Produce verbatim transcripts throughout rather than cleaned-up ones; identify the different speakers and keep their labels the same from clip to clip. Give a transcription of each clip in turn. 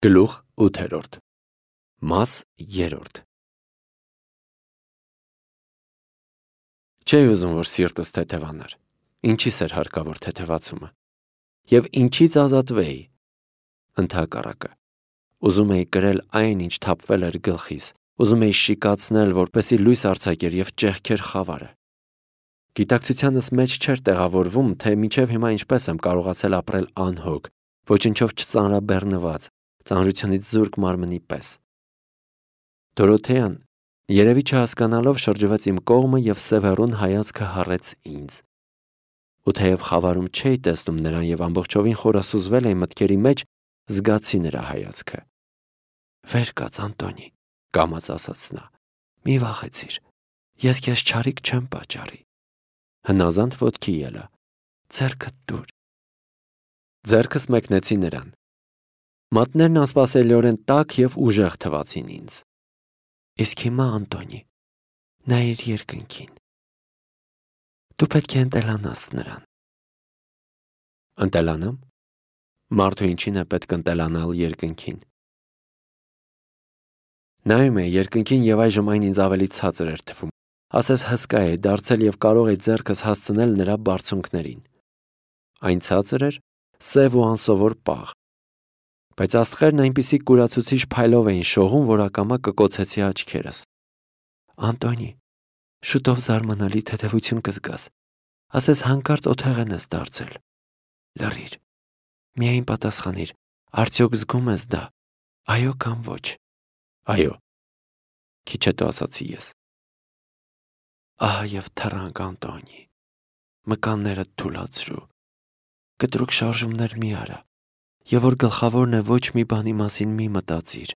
Speaker 1: Գլուխ ութերորդ Մաս երրորդ Չէի ուզում, որ սիրտս թեթևանար, ինչի՞ս էր հարկավոր թեթևացումը, և ինչից ազատվեի, ընդհակառակը, ուզում էի կրել այն, ինչ թափվել էր գլխիս, ուզում էի շիկացնել, որպեսզի լույս արձակեր և ճեղքեր խավարը։ Գիտակցությանս մեջ չէր տեղավորվում, թե մինչև հիմա ինչպես եմ կարողացել ապրել անհոգ, ոչնչով չծանրաբեռնված, ծանրությունից զուրկ մարմնի պես։ Դորոթեան, երևի չհասկանալով, շրջվեց իմ կողմը և սևեռուն հայացքը հառեց ինձ։ Ու թեև խավարում չէի տեսնում նրան և ամբողջովին խորասուզվել էի մտքերի մեջ, զգացի նրա հայացքը։ «Վեր կաց, Անտոնի», կամաց ասաց նա, «մի վախեցիր, ես քեզ չարիք չեմ պատճառի»։ Հնազանդ ոտքի ելա, «Ձեռքդ տուր»։ Ձեռքս մեկնեցի նրան։ Մատներն անսպասելիորեն տաք և ուժեղ թվացին ինձ։ «Իսկ հիմա, Անտոնի, նայիր երկնքին։ Դու պետք է ընտելանաս նրան»։ Ընտելանամ։ Մարդու ինչին է պետք ընտելանալ երկնքին։ Նայում էի երկնքին և այժմ այն ինձ ավելի ցածր էր թվում, ասես հսկա էի դարձել և կարող էի ձեռքս հասցնել նրա բարձունքներին։ Այն ցածր էր, սև ու անսովոր պաղ, բայց աստղերն այնպիսի կուրացուցիչ փայլով էին շողում, որ ակամա կկոցեցի աչքերս։ «Անտոնի, շուտով զարմանալի թեթևություն կզգաս, ասես հանկարծ օթեղեն ես դարձել։ Լռիր, միայն պատասխանիր, արդյոք զգում ես դա, այո կամ ոչ»։ «Այո», քիչ հետո ասացի ես։ Ահա և թռանք, Անտոնի, մկաններդ թուլացրու, կտրուկ շարժումներ մի արա, և որ գլխավորն է, ոչ մի բանի մասին մի մտածիր,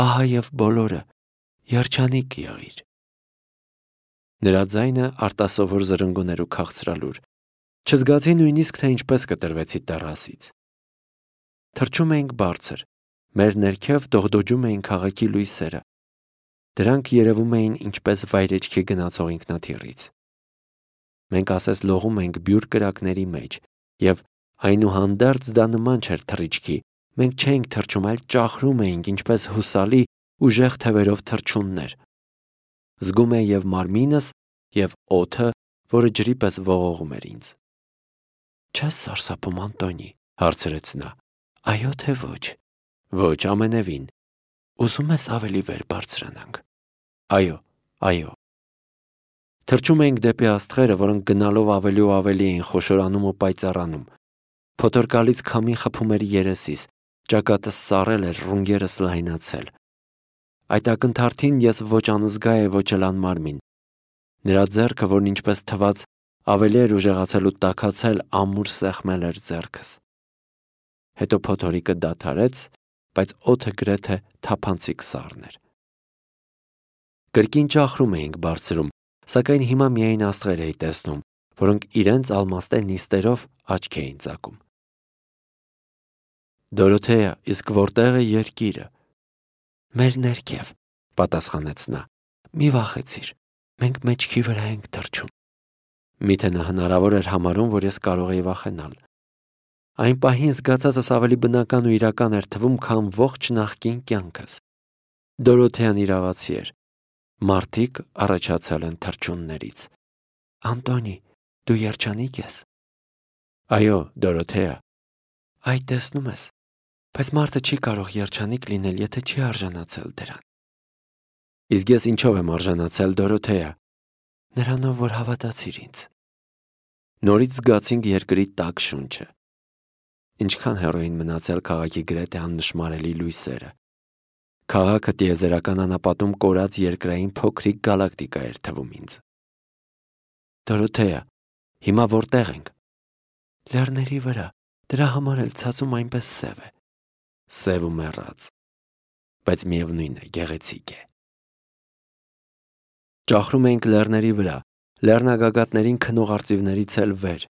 Speaker 1: ահա և բոլորը, երջանիկ եղիր։ Նրա ձայնը արտասովոր զրնգուն էր ու քաղցրալուր, չզգացի նույնիսկ, թե ինչպես կտրվեցի տեռասից։ Թռչում էինք բարձր, մեր ներքև դողդոջում էին քաղաքի լույսերը, դրանք երևում էին ինչպես վայրէջքի գնացող ինքնաթիռից։ Մենք ասես լողում էինք բյուր կրակների մեջ, և այնուհանդերձ դա նման չէր թռիչքի, մենք չէինք թռչում, այլ ճախրում էինք, ինչպես հուսալի, ուժեղ թևերով թռչուններ։ Զգում էի և մարմինս, և օդը, որը ջրի պես ողողում էր ինձ։ «Չես սարսափում, Անտոնի», հարցրեց նա։ «Այո թե ոչ»։ «Ոչ, ամենևին»։ «Ուզում ես ավելի վեր բարձրանանք»։ «Այո, այո»։ Թռչում էինք դեպի աստղերը, որոնք գնալով ավելի ու ավելի էին խոշորանում ու պայծառանում։ Փոթորկալից քամին խփում էր երեսիս, ճակատս սառել էր, ռունգերս լայնացել։ Այդ ակնթարթին ես ոչ անզգա էի, ոչ էլ անմարմին։ Նրա ձեռքը, որն ինչպես թվաց, ավելի էր ուժեղացել ու տաքացել, ամուր սեղմել էր ձեռքս։ Հետո փոթորիկը դադարեց, բայց օդը գրեթե թափանցիկ սառն էր։ Կրկին ճախրում էինք բարձրում, սակայն հիմա միայն աստղեր էի տեսնում, որոնք իրենց ալմաստե նիստերով աչք էին ծակում։ «Դորոթեա, իսկ որտե՞ղ է երկիրը»։ «Մեր ներքև», պատասխանեց նա։ «Մի վախեցիր, մենք մեջքի վրա ենք թռչում»։ Միթե նա հնարավոր էր համարում, որ ես կարող էի վախենալ։ Այն պահին զգացածս ավելի բնական ու իրական էր թվում, քան ողջ նախկին կյանքս։ Դորոթեան իրավացի էր։ Մարդիկ առաջացել են թռչուններից։ «Անտոնի, դու երջանիկ ես»։ «Այո, Դորոթեա»։ «Այ տեսնում ես, բայց մարդը չի կարող երջանիկ լինել, եթե չի արժանացել դրան»։ «Իսկ ես ինչով եմ արժանացել, Դորոթեա»։ «Նրանով, որ հավատացիր ինձ»։ Նորից զգացինք երկրի տաք շունչը։ Ինչքան հեռու էին մնացել քաղաքի գրեթե աննշմարելի լույսերը։ Քաղաքը տիեզերական անապատում կորած երկրային փոքրիկ գալակտիկա էր թվում ինձ։ «Դորոթեա, հիմա որտե՞ղ ենք»։ «Լեռների վրա, դրա համար էլ ցածում այնպես սև է»։ «Սև ու մեռած, բայց միևնույն է, գեղեցիկ է»։ Ճախրում էինք լեռների վրա, լեռնագագաթներին քնող արծիվներից էլ վեր։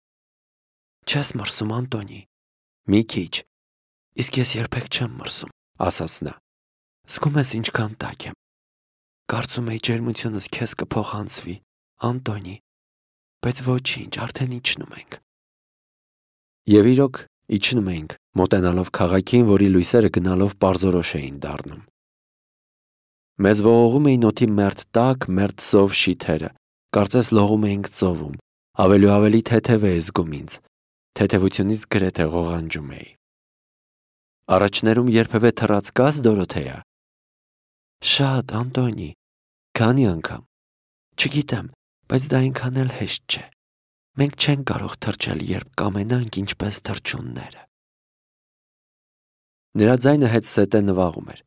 Speaker 1: «Չես մրսում, Անտոնի»։ «Մի քիչ»։ «Իսկ ես երբեք չեմ մրսում», ասաց նա։ «Զգում ես ինչքան տաք եմ։ Կարծում էի ջերմությունս քեզ կփոխանցվի, Անտոնի, բայց ոչինչ, արդեն իջնում ենք»։ Եվ իրոք Իջնում էինք, մոտենալով քաղաքին, որի լույսերը գնալով պարզորոշ էին դառնում։ Մեզ ողողում էին օդի մերթ տաք, մերթ զով շիթերը, կարծես լողում էինք ծովում, ավելի ու ավելի թեթև է զգում ինձ, թեթևությունից գրեթե ղողանջում էի։ Առաջներում երբևէ թռած կաս, Դորոթեյա։ Շատ, Անտոնի, քանի անգամ։ Չգիտեմ, բայց դա այնքան էլ հեշտ չէ։ Մենք չենք կարող թռչել, երբ կամենանք ինչպես թռչունները։ Նրա ձայնը հետ-սետե նվաղում էր։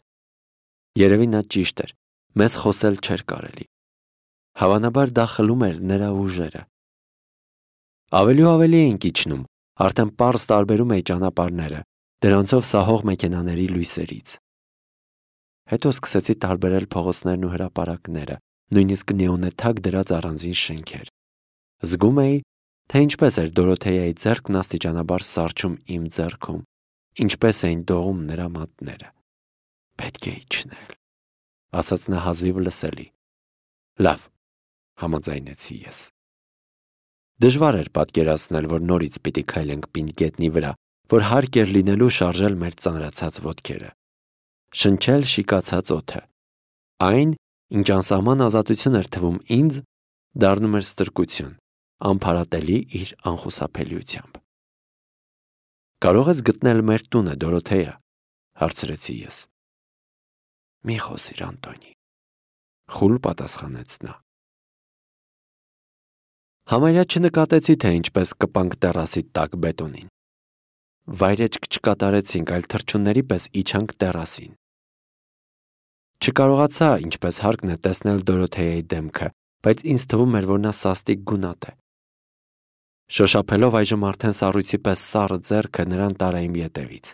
Speaker 1: Երևի նա ճիշտ էր, մեզ խոսել չէր կարելի։ Հավանաբար դա խլում էր նրա ուժերը։ Ավելի ու ավելի էինք իջնում, արդեն պարզ տարբերում էի ճանապարհները, դրանցով սահող մեքենաների լույսերից։ Հետո սկսեցի տարբերել փողոցներն ու հրապարակները, նույնիսկ նեոնեթակ դրած առանձին շենքեր։ Զգում էի, թե ինչպես էր Դորոթեյայի ձեռքն աստիճանաբար սառչում իմ ձեռքում, ինչպես էին դողում նրա մատները։ Պետք է իջնել, ասաց նա հազիվ լսելի։ Լավ, համաձայնեցի ես։ Դժվար էր պատկերացնել, որ նորից պիտի քայլենք պինդ գետնի վրա, որ հարկ էր լինելու շարժել մեր ծանրացած ոտքերը, շնչել շիկացած օդը։ Այն, ինչ անսահման ազատություն էր թվում ինձ, դառնում էր ստրկություն, անփարատելի իր անխուսափելիությամբ։ Կարող ես գտնել մեր տունը, Դորոթեյա, հարցրեցի ես։ Մի խոսիր, Անտոնի, խուլ պատասխանեց նա։ Համարյա չնկատեցի, թե ինչպես կպանք տեռասի տակ բետոնին։ Վայրեջք չկատարեցինք, այլ թռչունների պես իջանք տեռասին։ Չկարողացա, ինչպես հարկն է, տեսնել Դորոթեյայի դեմքը, բայց ինձ թվում էր, որ նա սաստիկ գունատ է։ Շոշափելով այժմ արդեն սառույցի պես սառը ձեռքը նրան տարա իմ ետևից։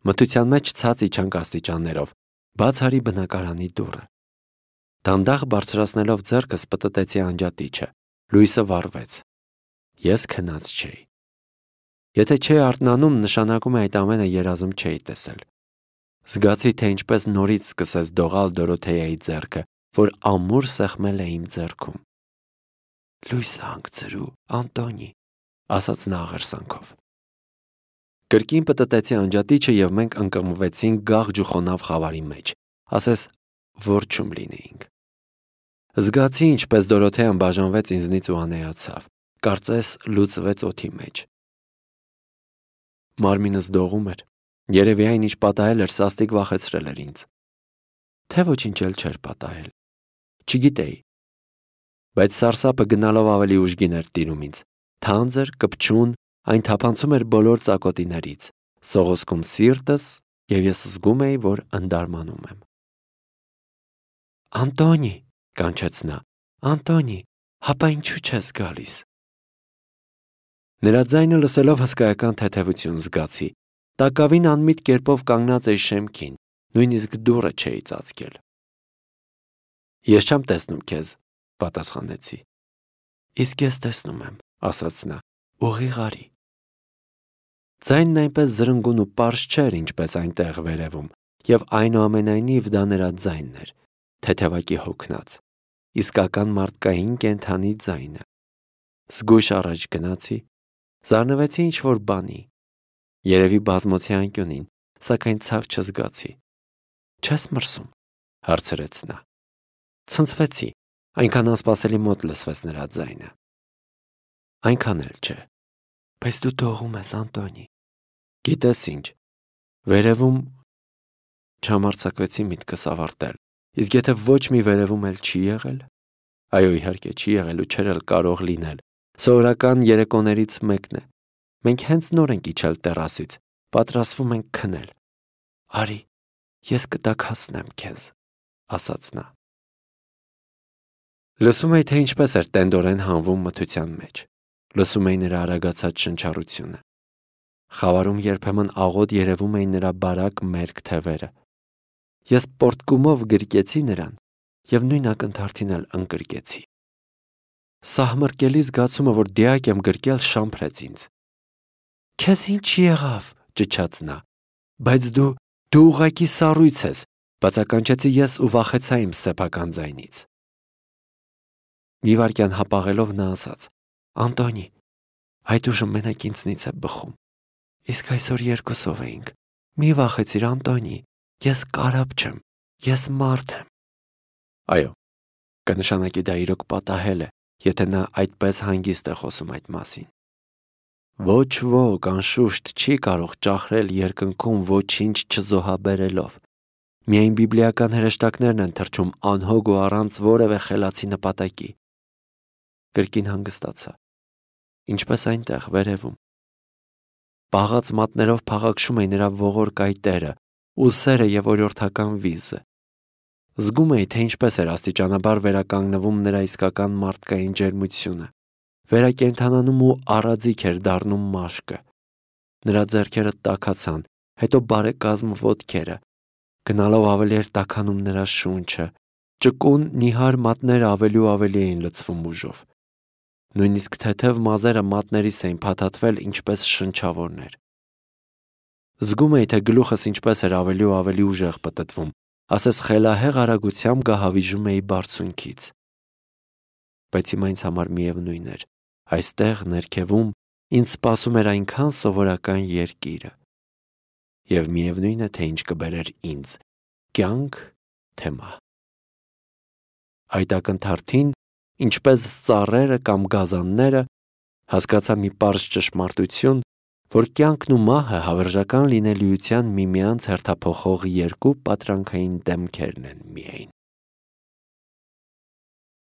Speaker 1: Մթության մեջ ցած իջանք աստիճաններով, բաց արի բնակարանի դուռը։ Դանդաղ բարձրացնելով ձեռքս պտտեցի անջատիչը, լույսը վառվեց։ Ես քնած չէի։ Եթե չէի արթնանում, նշանակում է այդ ամենը երազում չէի տեսել։ Զգացի, թե ինչպես նորից սկսեց դողալ Դորոթեյայի ձեռքը, որ ամուր սեղմել է իմ ձեռքում։ Լույսը հանգցրու, Անտոնի, ասաց նա աղերսանքով։ Կրկին պտտեցի անջատիչը և մենք ընկղմվեցինք գաղջ ու խոնավ խավարի մեջ, ասես որջում լինեինք։ Զգացի, ինչպես Դորոթեյան բաժանվեց ինձնից ու անեացավ, կարծես լուծվեց օդի մեջ։ Մարմինս դողում էր, երևի այն, ինչ պատահել էր, սաստիկ վախեցրել էր ինձ։ Թե ոչինչ էլ չէր պատահել։ Չգիտեի։ Բայց սարսափը գնալով ավելի ուժգին էր տիրում ինձ, թանձր, կպչուն, այն թափանցում էր բոլոր ծակոտիներից, սողոսկում սիրտս, և ես զգում էի, որ ընդարմանում եմ։ Անտոնի, կանչեց նա, Անտոնի, հապա ինչու չես գալիս։ Նրա ձայնը լսելով հսկայական թեթևություն զգացի, տակավին անմիտ կերպով կանգնած էի շեմքին, նույնիսկ դուռը չէի ծածկել։ Ես չեմ տեսնում քեզ, պատասխանեցի։ Իսկ ես տեսնում եմ, ասաց նա, ուղիղ արի։ Ձայնն այնպես զրնգուն ու պարզ չէր, ինչպես այնտեղ վերևում, և այնուամենայնիվ դա նրա ձայնն էր, թեթևակի հոգնած, իսկական մարդկային կենդանի ձայնը։ Զգույշ առաջ գնացի, զարնվեցի ինչ-որ բանի, երևի բազմոցի անկյունին, սակայն ցավ չզգացի։ Չես մրսում, հարցրեց նա։ Ցնցվեցի, այնքան անսպասելի մոտ լսվեց նրա ձայնը։ Այնքան էլ չէ, բայց դու դողում ես, Անտոնի։ Գիտես ինչ, վերևում չհամարձակվեցի միտքս ավարտել, իսկ եթե ոչ մի վերևում էլ չի եղել, այո, իհարկե չի եղել ու չէր էլ կարող լինել, սովորական երեկոներից մեկն է, մենք հենց նոր ենք իջել տեռասից, պատրաստվում ենք քնել։ Արի, ես կտաքացնեմ քեզ, ասաց նա։ Լսում էի, թե ինչպես էր տենդորեն հանվում մթության մեջ, լսում էի նրա արագացած շնչառությունը։ Խավարում երբեմն աղոտ երևում էին նրա բարակ մերկ թևերը։ Ես պորտկումով գրկեցի նրան և նույն ակնթարթին էլ ընկրկեցի։ Սահմռկելի զգացումը, որ դիակ եմ գրկել, շամփրեց ինձ։ Քեզ ինչ եղավ, ճչաց նա, բայց դու, դու ուղղակի սառույց ես, բացականչեցի ես ու վախեցա իմ սեփական ձայնից։ Մի վայրկյան հապաղելով նա ասաց. Անտոնի, այդ ուժը մենակ ինձնից է բխում։ Իսկ այսօր երկուսով էինք։ Մի վախեցիր, Անտոնի, ես կարապ չեմ, ես մարդ եմ։ Այո, կնշանակի դա իրոք պատահել է, եթե նա այդպես հանգիստ է խոսում այդ մասին։ Ոչ ոք անշուշտ չի կարող ճախրել երկնքում ոչինչ չզոհաբերելով։ Միայն բիբլիական հրեշտակներն են թռչում անհոգ ու առանց որևէ խելացի նպատակի։ Կրկին հանգստացա։ Ինչպես այնտեղ վերևում։ Պաղած մատներով փաղաքշում էի նրա ողոր կայտերը, ուսերը եւ օրյորթական վիզը։ Զգում էի, թե ինչպես էր աստիճանաբար վերականգնվում նրա իսկական մարդկային ջերմությունը, վերակենդանանում ու առաձիք էր դառնում մաշկը։ Նրա ձեռքերը տաքացան, հետո բարեկազմ ոտքերը, գնալով ավելի էր տաքանում նրա շունչը, ճկուն նիհար մատները ավելի ու ավելի էին լցվում ուժով։ Նույնիսկ թեթև մազերը մատներիս էին փաթաթվել ինչպես շնչավորներ։ Զգում էի, թե գլուխս ինչպես էր ավելի ու ավելի ուժեղ պտտվում, ասես խելահեղ արագությամբ գահավիժում էի բարձունքից։ Բայց հիմա ինձ համար միևնույն էր, այստեղ ներքևում ինձ սպասում էր այնքան սովորական երկիրը։ Եվ միևնույն է, թե ինչ կբերեր ինձ՝ կյանք, թե մահ։ Այդ ակնթարթին, ինչպես ծառերը կամ գազանները, հասկացա մի պարզ ճշմարտություն, որ կյանքն ու մահը հավերժական լինելիության միմյանց հերթափոխող երկու պատրանքային դեմքերն են միայն։